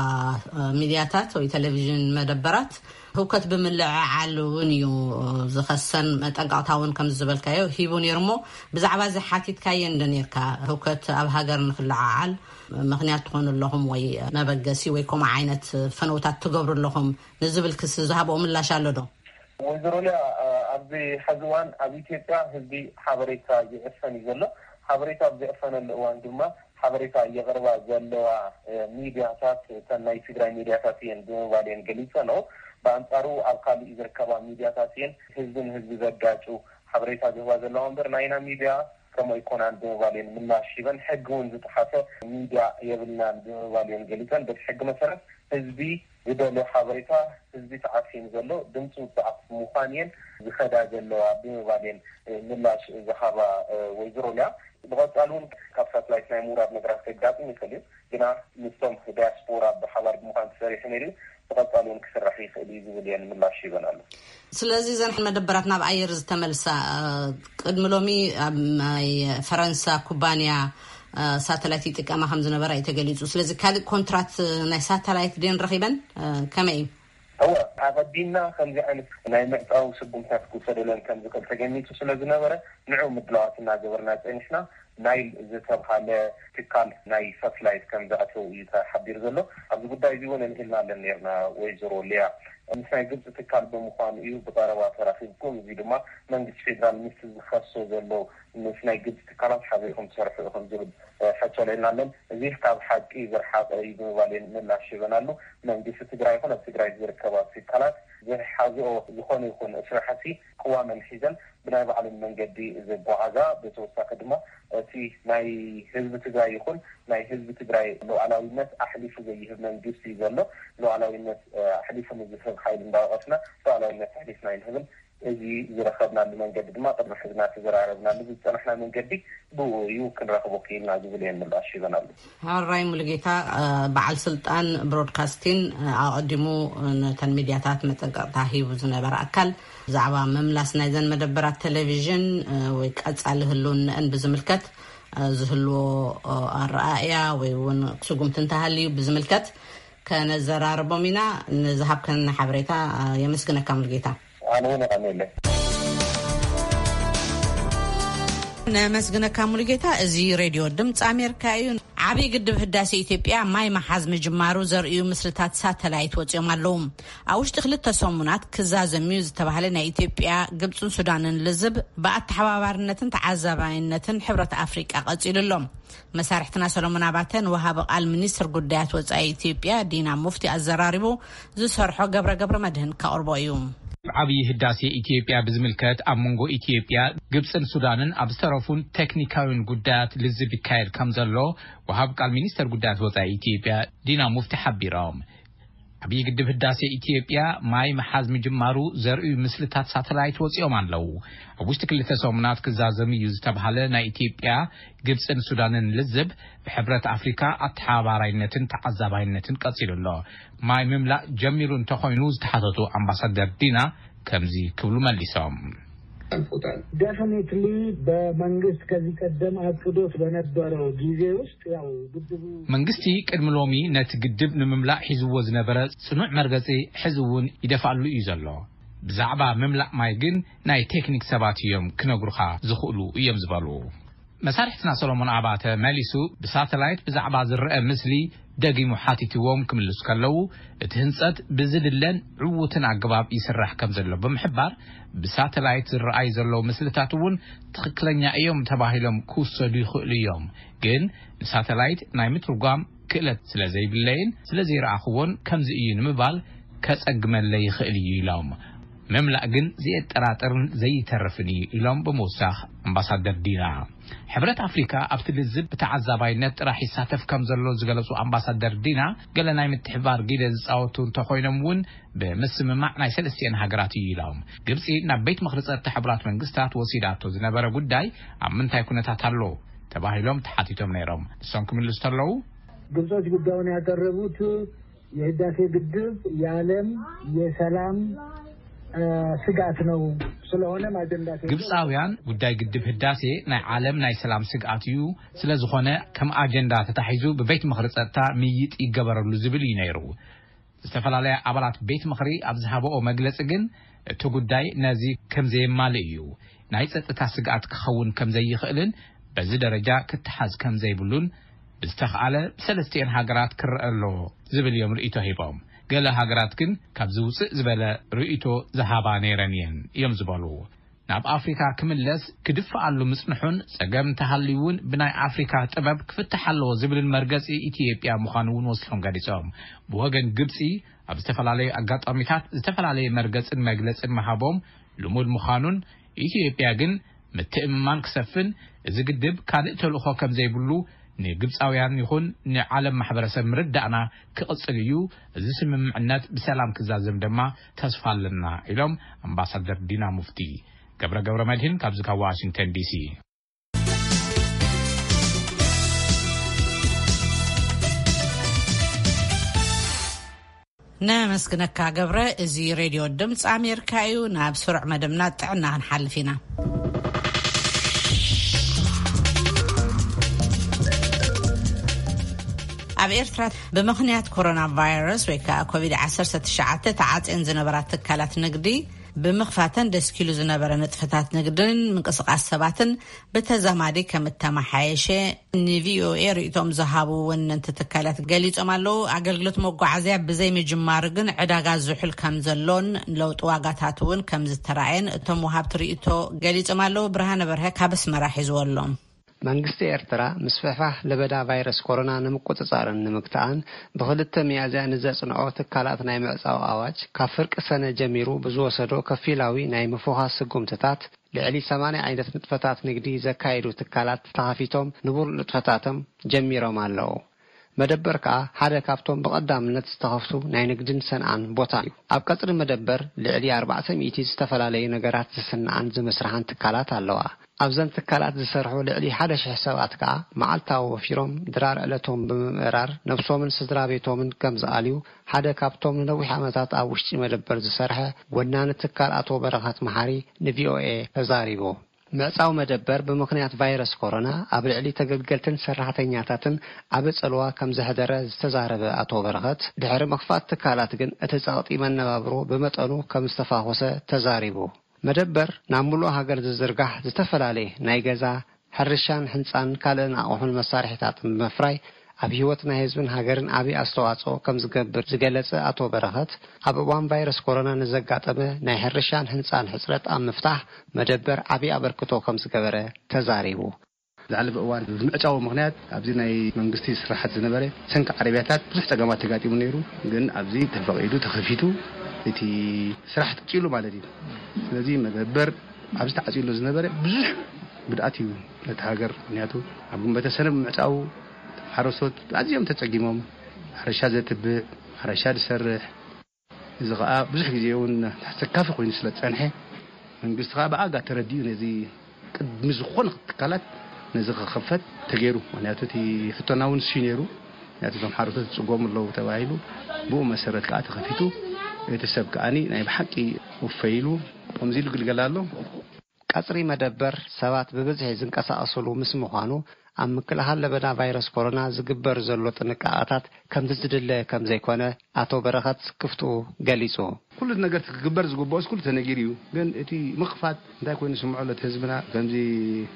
ሚድያታት ወይ ቴሌቪዥን መደበራት ህውከት ብምልዕዓል እውን እዩ ዝኸሰን፣ መጠንቀቕታ እውን ከም ዝበልካዮ ሂቡ ነይሩ። እሞ ብዛዕባ እዚ ሓቲትካየን ዶ ነርካ? ህውከት ኣብ ሃገር ንክልዓዓል ምክንያት ትኾኑ ኣለኹም ወይ መበገሲ ወይ ከምኡ ዓይነት ፈነውታት ትገብሩ ኣለኹም ንዝብል ክሲ ዝሃብኦ ምላሽ ኣሎ ዶ? ወይዘሮ ሊያ፣ ኣብዚ ሐዚ እዋን ኣብ ኢትዮጵያ ህዝቢ ሓበሬታ ይዕፈን እዩ ዘሎ። ሓበሬታ ኣብ ዝዕፈነሉ እዋን ድማ ሓበሬታ የቕርባ ዘለዋ ሚድያታት እተን ናይ ትግራይ ሚድያታት እየን ብምባል እየን ገሊፀ ነው። ብኣንፃሩ ኣብ ካሊእ ዝርከባ ሚድያታት እየን ህዝቢ ንህዝቢ ዘጋጩ ሓበሬታ ዝህባ ዘለዋ እምበር ናይና ሚድያ ከምኡ ኣይኮናን ብምባል እየን ምላሽ ሂበን። ሕጊ እውን ዝጠሓሰ ሚድያ የብልናን ብምባል እየን ገሊፀን። በቲ ሕጊ መሰረት ህዝቢ ዝደልዮ ሓበሬታ ህዝቢ ተዓፊኑ ዘሎ ድምፂ ውፅዓት ምዃን እየን ዝኸዳ ዘለዋ ብምባል እየን ምላሽ ዝሃባ ወይዘሮ ሊያ። ብቐፃል እውን ካብ ሳትላይት ናይ ምውራድ ነገራት ከጋጥም ይኽእል እዩ፣ ግና ምስቶም ዲያስፖራ ብሓባር ብምዃን ተሰሪሑ ነይሩ፣ ብቐፃል እውን ክስራሕ ይኽእል እዩ ዝብል እየን ምላሽ ሂበን ኣሎ። ስለዚ እዘን መደበራት ናብ ኣየር ዝተመልሳ ቅድሚ ሎሚ ኣብ ናይ ፈረንሳ ኩባንያ ሳተላይት ይጥቀማ ከም ዝነበራ እዩ ተገሊፁ። ስለዚ ካልእ ኮንትራት ናይ ሳተላይት ድየን ረኺበን? ከመይ እዩ? እወ፣ ኣቐዲምና ከምዚ ዓይነት ናይ ምዕፃው ስጉምታት ክውሰደለን ከም ዝኽእል ተገሚቱ ስለ ዝነበረ ንዑ ምድላዋት እናገበርና ፀኒሕና። ናይል ዝተብሃለ ትካል ናይ ሳተላይት ከም ዘእተው እዩ ተሓቢሩ ዘሎ። ኣብዚ ጉዳይ እዚ እውን ኣልዒልና ኣለን ነርና ወይዘሮ ሊያ። ምስ ናይ ግብፂ ትካል ብምዃኑ እዩ ብቐረባ ተራኺብኩም፣ እዚ ድማ መንግስቲ ፌዴራል ምስቲ ዝኸሶ ዘሎ ምስ ናይ ግብፂ ትካላት ሓቢርኩም ትሰርሑ ኢኹም ዝብል ሕቶ ኣልዒልና ኣለን። እዚ ካብ ሓቂ ዝረሓቐ እዩ ብምባል እየን ምላሽ ሂበናሉ። መንግስቲ ትግራይ ይኹን ኣብ ትግራይ ዝርከባ ትካላት ዝሓዝኦ ዝኾነ ይኹን ስራሕቲ ቅዋመን ሒዘን ብናይ ባዕለን መንገዲ ዝጓዓዛ፣ ብተወሳኺ ድማ እቲ ናይ ህዝቢ ትግራይ ይኹን ናይ ህዝቢ ትግራይ ሉዓላዊነት ኣሕሊፉ ዘይህብ መንግስቲ እዩ ዘሎ። ሉዓላዊነት ኣሕሊፉ ንዝህብ ሓይሊ እንዳወቐስና ሉዓላዊነት ኣሕሊፍና ኣይንህብን። እዚ ዝረኸብናሉ መንገዲ ድማ ቅድሚ ሕዚ እናተዘራረብናሉ ዝፀናሕና መንገዲ ብኡ እዩ፣ ክንረኽቦ ክኢልና ዝብል እየን ምላሽ ሂበናሉ። ሕራይ ሙሉጌታ፣ በዓል ስልጣን ብሮድካስቲን ኣቐዲሙ ነተን ሚድያታት መጠንቀቕታ ሂቡ ዝነበረ ኣካል ብዛዕባ ምምላስ ናይዘን መደበራት ቴሌቪዥን ወይ ቀጻሊ ህልውንአን ብዝምልከት ዝህልዎ ኣረኣእያ ወይ እውን ስጉምቲ እንተሃልዩ ብዝምልከት ከነዘራርቦም ኢና። ንዝሃብከን ሓበሬታ የመስግነካ ሙሉጌታ። ኣነ እውን የቐንየለይ። ነመስግነካ ሙሉጌታ። እዚ ሬድዮ ድምፂ ኣሜሪካ እዩ። ዓብዪ ግድብ ህዳሴ ኢትዮጵያ ማይ መሓዝ ምጅማሩ ዘርእዩ ምስልታት ሳተላይት ወፂኦም ኣለዉ። ኣብ ውሽጢ ክልተ ሰሙናት ክዛዘም እዩ ዝተባህለ ናይ ኢትዮጵያ፣ ግብፅን ሱዳንን ልዝብ ብኣተሓባባርነትን ተዓዛባይነትን ሕብረት ኣፍሪቃ ቀፂሉ ኣሎ። መሳርሕትና ሰሎሞን ኣባተ ንወሃቢ ቃል ሚኒስትር ጉዳያት ወፃኢ ኢትዮጵያ ዲና ሙፍቲ ኣዘራሪቡ፣ ዝሰርሖ ገብረ ገብረ መድህን ከቕርቦ እዩ። ዓብዪ ህዳሴ ኢትዮጵያ ብዝምልከት ኣብ መንጎ ኢትዮጵያ፣ ግብፅን ሱዳንን ኣብ ዝተረፉን ቴክኒካዊን ጉዳያት ልዝብ ይካየድ ከም ዘሎ ወሃብ ቃል ሚኒስተር ጉዳያት ወፃኢ ኢትዮጵያ ዲና ሙፍቲ ሓቢሮም። ዓብዪ ግድብ ህዳሴ ኢትዮጵያ ማይ መሓዝ ምጅማሩ ዘርእዩ ምስልታት ሳተላይት ወፂኦም ኣለዉ። ኣብ ውሽጢ ክልተ ሰሙናት ክዛዘም እዩ ዝተባሃለ ናይ ኢትዮጵያ፣ ግብፅን ሱዳንን ልዝብ ብሕብረት ኣፍሪካ ኣተሓባባራይነትን ተዓዛባይነትን ቀፂሉ ኣሎ። ማይ ምምላእ ጀሚሩ እንተኾይኑ ዝተሓተቱ ኣምባሳደር ዲና ከምዚ ክብሉ መሊሶም። Definitely በመንግስት ከዚህ ቀደም አቅዶት በነበረው ጊዜ ውስጥ ያው ግድቡ መንግስቲ ቅድሚ ሎሚ ነቲ ግድብ ንምምላእ ሒዝዎ ዝነበረ ጽኑዕ መርገጺ ሕዚ እውን ይደፍኣሉ እዩ ዘሎ። ብዛዕባ ምምላእ ማይ ግን ናይ ቴክኒክ ሰባት እዮም ክነግሩኻ ዝኽእሉ እዮም ዝበሉ። መሳርሕትና ሰሎሞን ኣባተ መሊሱ ብሳተላይት ብዛዕባ ዝረአ ምስሊ ደጊሙ ሓቲትዎም ክምልሱ ከለዉ፣ እቲ ህንጸት ብዝድለን ዕዉትን ኣገባብ ይስራሕ ከም ዘሎ ብምሕባር፣ ብሳተላይት ዝረኣዩ ዘለዉ ምስልታት እውን ትኽክለኛ እዮም ተባሂሎም ክውሰዱ ይኽእሉ እዮም፣ ግን ንሳተላይት ናይ ምትርጓም ክእለት ስለ ዘይብለይን ስለ ዘይረኣኽዎን ከምዚ እዩ ንምባል ከጸግመለይ ይኽእል እዩ ኢሎም። ምምላእ ግን ዘየጠራጥርን ዘይተርፍን እዩ ኢሎም ብምውሳኽ ኣምባሳደር ዲና። ሕብረት ኣፍሪካ ኣብቲ ልዝብ ብተዓዛባይነት ጥራሕ ይሳተፍ ከም ዘሎ ዝገለጹ ኣምባሳደር ዲና፣ ገለ ናይ ምትሕባር ጊደ ዝጻወቱ እንተኾይኖም እውን ብምስምማዕ ናይ ሰለስቲኤን ሃገራት እዩ ኢሎም። ግብጺ ናብ ቤት ምኽሪ ጸጥታ ሕቡራት መንግስታት ወሲዳቶ ዝነበረ ጉዳይ ኣብ ምንታይ ኩነታት ኣሎ ተባሂሎም ተሓቲቶም ነይሮም። ንሶም ክምልሱ ተለዉ ግብጾች ጉዳዩን ያቀረቡት የህዳሴ ግድብ የዓለም የሰላም ስጋት ነው። ስለሆነም አጀንዳ ግብፃውያን ጉዳይ ግድብ ህዳሴ ናይ ዓለም ናይ ሰላም ስግኣት እዩ። ስለዝኾነ ከም ኣጀንዳ ተታሒዙ ብቤት ምኽሪ ፀጥታ ምይጥ ይገበረሉ ዝብል እዩ ነይሩ። ዝተፈላለያ ኣባላት ቤት ምኽሪ ኣብ ዝሃበኦ መግለፂ ግን እቲ ጉዳይ ነዚ ከም ዘየማልእ እዩ፣ ናይ ፀጥታ ስግኣት ክኸውን ከም ዘይኽእልን በዚ ደረጃ ክተሓዝ ከም ዘይብሉን ብዝተኽኣለ ብሰለስቲኤን ሃገራት ክረአ ኣለዎ ዝብል እዮም ርእይቶ ሂቦም። ገለ ሃገራት ግን ካብዚ ውፅእ ዝበለ ርእይቶ ዝሃባ ነይረን እየን እዮም ዝበሉ። ናብ ኣፍሪካ ክምለስ ክድፍኣሉ ምፅንሑን ፀገም እንተሃልዩ እውን ብናይ ኣፍሪካ ጥበብ ክፍታሕ ኣለዎ ዝብልን መርገፂ ኢትዮጵያ ምዃኑ እውን ወሲኾም ገሊፆም። ብወገን ግብፂ ኣብ ዝተፈላለዩ ኣጋጣሚታት ዝተፈላለየ መርገፅን መግለፅን ምሃቦም ልሙድ ምዃኑን ኢትዮጵያ ግን ምትእምማን ክሰፍን እዚ ግድብ ካልእ ተልእኾ ከም ዘይብሉ ንግብፃውያን ይኹን ንዓለም ማሕበረሰብ ምርዳእና ክቕፅል እዩ። እዚ ስምምዕነት ብሰላም ክዛዘም ድማ ተስፋ ኣለና ኢሎም ኣምባሳደር ዲና ሙፍቲ። ገብረ ገብረ መድህን ካብዚ ካብ ዋሽንግተን ዲሲ። ነመስግነካ ገብረ። እዚ ሬድዮ ድምፂ ኣሜሪካ እዩ። ናብ ስሩዕ መደብና ጥዕና ክንሓልፍ ኢና። ኣብ ኤርትራ ብምኽንያት ኮሮና ቫይረስ ወይ ከዓ ኮቪድ ዓሰርተ ትሽዓተ ተዓፅየን ዝነበራ ትካላት ንግዲ ብምኽፋተን ደስኪሉ ዝነበረ ንጥፈታት ንግድን ምንቅስቃስ ሰባትን ብተዛማዲ ከም እተመሓየሸ ንቪኦኤ ርእይቶም ዝሃቡ ወነንቲ ትካላት ገሊጾም ኣለዉ። ኣገልግሎት መጓዓዝያ ብዘይ ምጅማሩ ግን ዕዳጋ ዝሑል ከም ዘሎን ለውጢ ዋጋታት እውን ከም ዝተራእየን እቶም ወሃብቲ ርእይቶ ገሊጾም ኣለዉ። ብርሃነ በርሀ ካብ ኣስመራ ሒዝዎ ኣሎ። መንግስቲ ኤርትራ ምስፍሕፋሕ ለበዳ ቫይረስ ኮሮና ንምቁጽጻርን ንምግታእን ብክልተ ሚያዝያ ንዘጽንዖ ትካላት ናይ ምዕጻው ኣዋጅ ካብ ፍርቂ ሰነ ጀሚሩ ብዝወሰዶ ከፊላዊ ናይ ምፍዃስ ስጉምትታት ልዕሊ ሰማንያ ዓይነት ንጥፈታት ንግዲ ዘካየዱ ትካላት ተኻፊቶም ንቡር ንጥፈታቶም ጀሚሮም ኣለዉ። መደበር ከኣ ሓደ ካብቶም ብቐዳምነት ዝተኸፍቱ ናይ ንግድን ሰንዓን ቦታ እዩ። ኣብ ቀጽሪ መደበር ልዕሊ ኣርባዕተ ሚእቲ ዝተፈላለዩ ነገራት ዝስንዓን ዝምስርሓን ትካላት ኣለዋ። ኣብዘን ትካላት ዝሰርሑ ልዕሊ ሓደ ሽሕ ሰባት ከኣ መዓልታዊ ወፊሮም ድራር ዕለቶም ብምምእራር ነብሶምን ስድራ ቤቶምን ከም ዝኣልዩ ሓደ ካብቶም ንነዊሕ ዓመታት ኣብ ውሽጢ መደበር ዝሰርሐ ወናኒ ትካል ኣቶ በረኸት መሓሪ ንቪኦኤ ተዛሪቡ። ምዕጻው መደበር ብምኽንያት ቫይረስ ኮሮና ኣብ ልዕሊ ተገልገልትን ሰራሕተኛታትን ዓቢ ጽልዋ ከም ዘሕደረ ዝተዛረበ ኣቶ በረኸት፣ ድሕሪ ምኽፋት ትካላት ግን እቲ ጸቕጢ መነባብሮ ብመጠኑ ከም ዝተፋኾሰ ተዛሪቡ። መደበር ናብ ምሉእ ሃገር ዝዝርጋሕ ዝተፈላለየ ናይ ገዛ፣ ሕርሻን ሕንጻን ካልእን ኣቑሑን መሳርሒታትን ብምፍራይ ኣብ ህይወት ናይ ህዝብን ሃገርን ዓቢ ኣስተዋጽኦ ከም ዝገብር ዝገለጸ ኣቶ በረኸት፣ ኣብ እዋን ቫይረስ ኮሮና ንዘጋጠመ ናይ ሕርሻን ህንጻን ሕጽረት ኣብ ምፍታሕ መደበር ዓቢ ኣበርክቶ ከም ዝገበረ ተዛሪቡ። ዝሓለፈ እዋን ብምዕጻው ምኽንያት ኣብዚ ናይ መንግስቲ ስራሓት ዝነበረ ሰንኪ ዓረብያታት ብዙሕ ጸገማት ተጋጢሙ ነይሩ። ግን ኣብዚ ተፈቒዱ ተኸፊቱ እቲ ስራሕ ትጽሉ ማለት እዩ። ስለዚ መደበር ኣብዚ ተዓጽሉ ዝነበረ ብዙሕ ጉድኣት እዩ ነቲ ሃገር። ምኽንያቱ ኣብ ግንበተ ሰነ ብምዕጻው ሓረስቶት ኣዝዮም ተጸጊሞም፣ ሕርሻ ዘትብዕ፣ ሕርሻ ዝሰርሕ፣ እዚ ኸኣ ብዙሕ ግዜ እውን ኣሰካፊ ኮይኑ ስለ ዝጸንሐ፣ መንግስቲ ኸኣ ብኣጋ ተረዲኡ ነዚ ቅድሚ ዝኾነ ትካላት ነዚ ክኸፈት ተገይሩ። ምኽንያቱ እቲ ሕቶና እውን እሱ ነይሩ። ምኽንያቱ እዞም ሓረስቶት ይጽገሙ ኣለዉ ተባሂሉ፣ ብኡ መሰረት ከኣ ተኸፊቱ፣ እቲ ሰብ ከኣኒ ናይ ብሓቂ ውፈይ ኢሉ ከምዚ ኢሉ ግልገል ኣሎ። ቀጽሪ መደበር ሰባት ብብዝሒ ዝንቀሳቐስሉ ምስ ምዃኑ፣ ኣብ ምክልኻል ለበዳ ቫይረስ ኮሮና ዝግበር ዘሎ ጥንቃቐታት ከምቲ ዝድለ ከም ዘይኮነ ኣቶ በረኸት ስክፍትኡ ገሊጹ። ኩሉ ነገር ክግበር ዝግብኦስ ኩሉ ተነጊሩ እዩ። ግን እቲ ምኽፋት እንታይ ኮይኑ ስምዖ ኣሎ እቲ ህዝብና? ከምዚ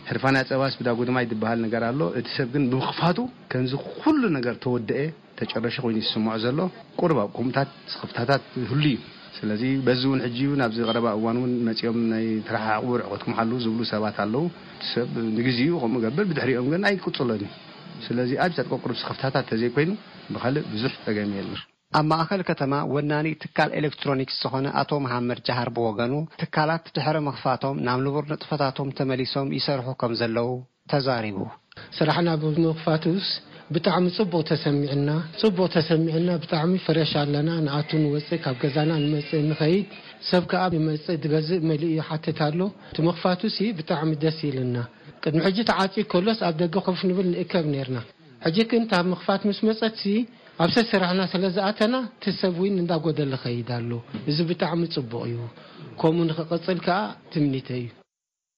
ሕርፋና ጸባስ ብዳጉድማይ ዝበሃል ነገር ኣሎ። እቲ ሰብ ግን ብምኽፋቱ ከምዚ ኩሉ ነገር ተወደአ ተጨረሸ ኮይኑ ይስምዖ ዘሎ። ቁሩብ ኣብ ኮምታት ስኽፍታታት ህሉ እዩ። ስለዚ በዚ እውን ሕጂ እውን ኣብዚ ቀረባ እዋን እውን መጺኦም ናይ ተረሓሓቑ ርሕቐትኩም ሓልዉ ዝብሉ ሰባት ኣለዉ። እቲ ሰብ ንግዜኡ ከምኡ ገብር፣ ብድሕሪኦም ግን ኣይቅጽሎን እዩ። ስለዚ ኣብ ጸጥቆ ቁሩብ ስኽፍታታት ተዘይኮይኑ ብኻልእ ብዙሕ ጸገም የለን። ኣብ ማእኸል ከተማ ወናኒ ትካል ኤሌክትሮኒክስ ዝኾነ ኣቶ መሓመድ ጃሃር ብወገኑ፣ ትካላት ድሕሪ ምኽፋቶም ናብ ንቡር ንጥፈታቶም ተመሊሶም ይሰርሑ ከም ዘለዉ ተዛሪቡ። ስራሕና ብምኽፋቱስ ብጣዕሚ ጽቡቕ ተሰሚዕና፣ ጽቡቕ ተሰሚዕና፣ ብጣዕሚ ፍረሽ ኣለና፣ ንኣቱ ንወጽእ፣ ካብ ገዛና ንመጽእ ንኸይድ፣ ሰብ ከኣ ይመጽእ፣ ዝገዝእ መሊኡ ይሓትት ኣሎ። እቲ ምኽፋቱሲ ብጣዕሚ ደስ ኢልና። ቅድሚ ሕጂ ተዓጽዩ ከሎስ ኣብ ደገ ኮፍ ንብል ንእከብ ኔርና። ሕጂ ግን እታ ምኽፋት ምስ መጸትሲ ኣብ ሰስራሕና ስለ ዝኣተና እቲ ሰብ እውን እንዳጎደለ ኸይድ ኣሎ። እዚ ብጣዕሚ ጽቡቕ እዩ። ከምኡ ንኽቕጽል ከኣ ትምኒተይ እዩ።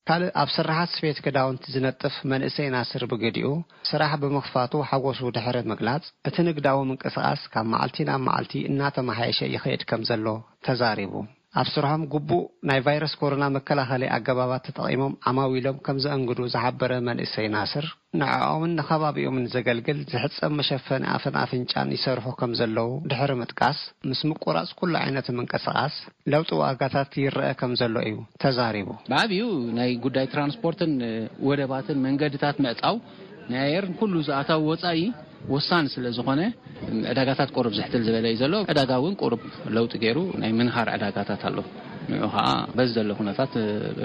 ካልእ ኣብ ስራሓት ስፌት ክዳውንቲ ዝነጥፍ መንእሰይ ናስር ብግዲኡ፣ ስራሕ ብምኽፋቱ ሓጎሱ ድሕሪ ምግላጽ፣ እቲ ንግዳዊ ምንቅስቓስ ካብ መዓልቲ ናብ መዓልቲ እናተመሓየሸ ይኸይድ ከም ዘሎ ተዛሪቡ። ኣብ ስርሖም ግቡእ ናይ ቫይረስ ኮሮና መከላኸሊ ኣገባባት ተጠቒሞም ዓማዊሎም ከም ዘእንግዱ ዝሓበረ መንእሰይ ናስር፣ ንዕኦምን ንኸባቢኦምን ዘገልግል ዝሕጸብ መሸፈኒ ኣፍን ኣፍንጫን ይሰርሑ ከም ዘለዉ ድሕሪ ምጥቃስ፣ ምስ ምቁራጽ ኩሉ ዓይነት ምንቅስቓስ ለውጢ ዋጋታት ይረአ ከም ዘሎ እዩ ተዛሪቡ። ብዓብዩ ናይ ጉዳይ ትራንስፖርትን ወደባትን መንገድታት ምዕጻው ናይ ኣየርን ኩሉ ዝኣታዊ ወጻኢ ወሳኒ ስለ ዝኾነ፣ ዕዳጋታት ቁሩብ ዝሕትል ዝበለ እዩ ዘሎ። ዕዳጋ እውን ቁሩብ ለውጢ ገይሩ ናይ ምንሃር ዕዳጋታት ኣሎ። ንዑ ኸዓ በዚ ዘሎ ኩነታት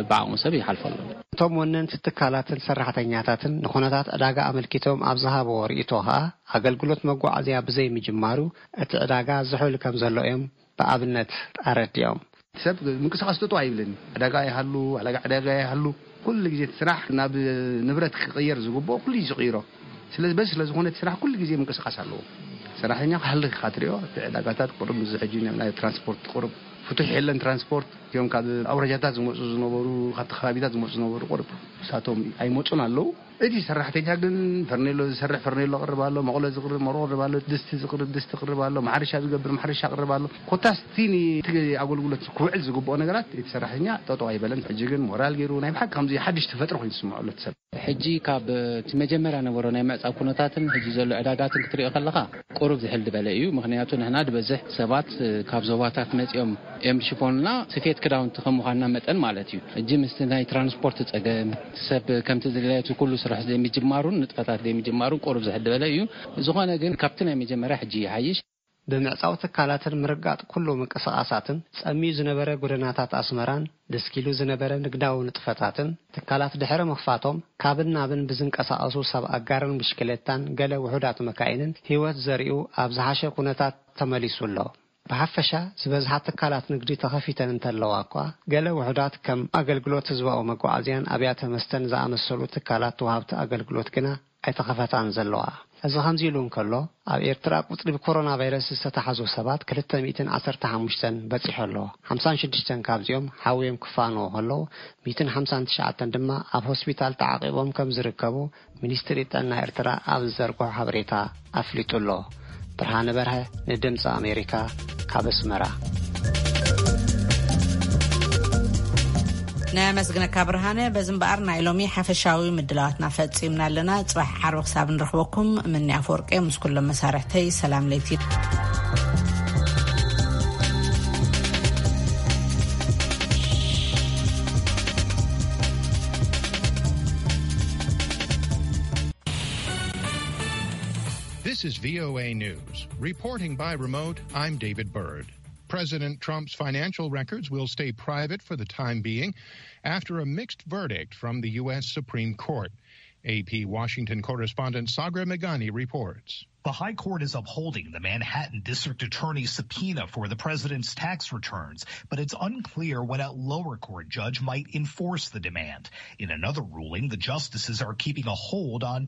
ብዓቕሙ ሰብ ይሓልፎ ኣሎ። እቶም ወነንቲ ትካላትን ሰራሕተኛታትን ንኹነታት ዕዳጋ ኣመልኪቶም ኣብ ዝሃብዎ ርእይቶ ኸዓ፣ ኣገልግሎት መጓዓዝያ ብዘይምጅማሩ እቲ ዕዳጋ ዝሑል ከም ዘሎ እዮም ብኣብነት ኣረዲኦም። ሰብ ምንቅስቓስ ጠጠው ኣይብልን። ዕዳጋ ይሃሉ፣ ዕዳጋ ዕዳጋ ይሃሉ፣ ኩሉ ግዜ እቲ ስራሕ ናብ ንብረት ክቕየር ዝግብኦ ኩሉ እዩ ዝቕይሮ። ስለዚ በዚ ስለ ዝኾነ እቲ ስራሕ ኩሉ ግዜ ምንቅስቓስ ኣለዎ። ሰራሕተኛ ክሃልኽ ኢኻ ትሪኦ። እቲ ዕዳጋታት ቁሩብ ምስዚ ሕጂ ናይ ትራንስፖርት ቁሩብ ፍቱሕ የለን። ትራንስፖርት እቲኦም ካብ ኣውራጃታት ዝመፁ ዝነበሩ፣ ካብቲ ከባቢታት ዝመፁ ዝነበሩ ቁሩብ ንሳቶም ኣይመፁን ኣለዉ። እቲ ሰራሕተኛ ግን ፈርኔሎ ዝሰርሕ ፈርኔሎ ቅርብ ኣሎ፣ መቑሎ ዝቕርብ መቑሎ ቅርብ ኣሎ፣ ድስቲ ዝቕርብ ድስቲ ቅርብ ኣሎ፣ ማሕረሻ ዝገብር ማሕረሻ ቅርብ ኣሎ። ኮታስ እቲ ን-፣ እቲ ኣገልግሎት ክውዕል ዝግብኦ ነገራት እቲ ሰራሕተኛ ጠጠው ኣይበለን። ሕጂ ግን ሞራል ገይሩ ናይ ብሓቂ ከምዚ ሓድሽ ተፈጥሮ ኮይኑ ዝስምዖ ኣሎ እቲ ሰብ። ሕጂ ካብ እቲ መጀመርያ ነበሮ ናይ ምዕጻብ ኩነታትን ሕጂ ዘሎ ዕዳጋትን ክትሪኦ ከለኻ ቁሩብ ዝሕል ዝበለ እዩ። ምኽንያቱ ንሕና ዝበዝሕ ሰባት ካብ ዞባታት መጺኦም እዮም ዝሽፈኑና፣ ስፌት ክዳውንቲ ከም ምዃንና መጠን ማለት እዩ። ሕጂ ምስቲ ናይ ትራንስፖርት ጸገም፣ ሰብ ከምቲ ዝድለዮ እቲ ኩሉ ስራሕ ዘይምጅማሩን ንጥፈታት ዘይምጅማሩን ቁሩብ ዝሕል ዝበለ እዩ። ዝኾነ ግን ካብቲ ናይ መጀመርያ ሕጂ ይሓይሽ። ብምዕጻው ትካላትን ምርጋጥ ኩሉ ምንቅስቓሳትን ጸምዩ ዝነበረ ጎደናታት ኣስመራን ድስኪሉ ዝነበረ ንግዳዊ ንጥፈታትን ትካላት ድሕሪ ምኽፋቶም ካብን ናብን ብዝንቀሳቐሱ ሰብ ኣጋርን ብሽክሌታን ገለ ውሑዳት መካይንን ህይወት ዘሪኡ ኣብ ዝሓሸ ኩነታት ተመሊሱ ኣሎ። ብሓፈሻ ዝበዝሓ ትካላት ንግዲ ተኸፊተን እንተለዋ እኳ፣ ገለ ውሑዳት ከም ኣገልግሎት ህዝባዊ መጓዓዝያን ኣብያተ መስተን ዝኣመሰሉ ትካላት ወሃብቲ ኣገልግሎት ግና ኣይተኸፈታን ዘለዋ። እዚ ከምዚ ኢሉ እንከሎ፣ ኣብ ኤርትራ ቁጽሪ ብኮሮና ቫይረስ ዝተታሕዙ ሰባት ክልተ ሚእትን ዓሰርተ ሓሙሽተን በጺሑ ኣሎ። ሓምሳን ሽዱሽተን ካብዚኦም ሓውዮም ክፋንዎ ከለዉ፣ ሚእትን ሓምሳን ትሽዓተን ድማ ኣብ ሆስፒታል ተዓቂቦም ከም ዝርከቡ ሚኒስትሪ ጥዕና ኤርትራ ኣብ ዝዘርግሖ ሓበሬታ ኣፍሊጡ ኣሎ። ብርሃነ በርሀ ንድምፂ ኣሜሪካ ካብ ኣስመራ። ነመስግነካ ብርሃነ። በዚ እምበኣር ናይ ሎሚ ሓፈሻዊ ምድላዋትና ፈጺምና ኣለና። ጽባሕ ዓርቢ ክሳብ ንረኽበኩም፣ ምኒ ኣፈወርቂ ምስ ኩሎም መሳርሕተይ ሰላም ለይቲ። This is V O A News. Reporting by remote, I'm David Byrd. President Trump's financial records will stay private for the time being after a mixed verdict from the U S Supreme Court. A P Washington correspondent Sagar Meghani reports. The High Court is upholding the Manhattan District Attorney's subpoena for the president's tax returns, but it's unclear when a lower court judge might enforce the demand. In another ruling, the justices are keeping a hold on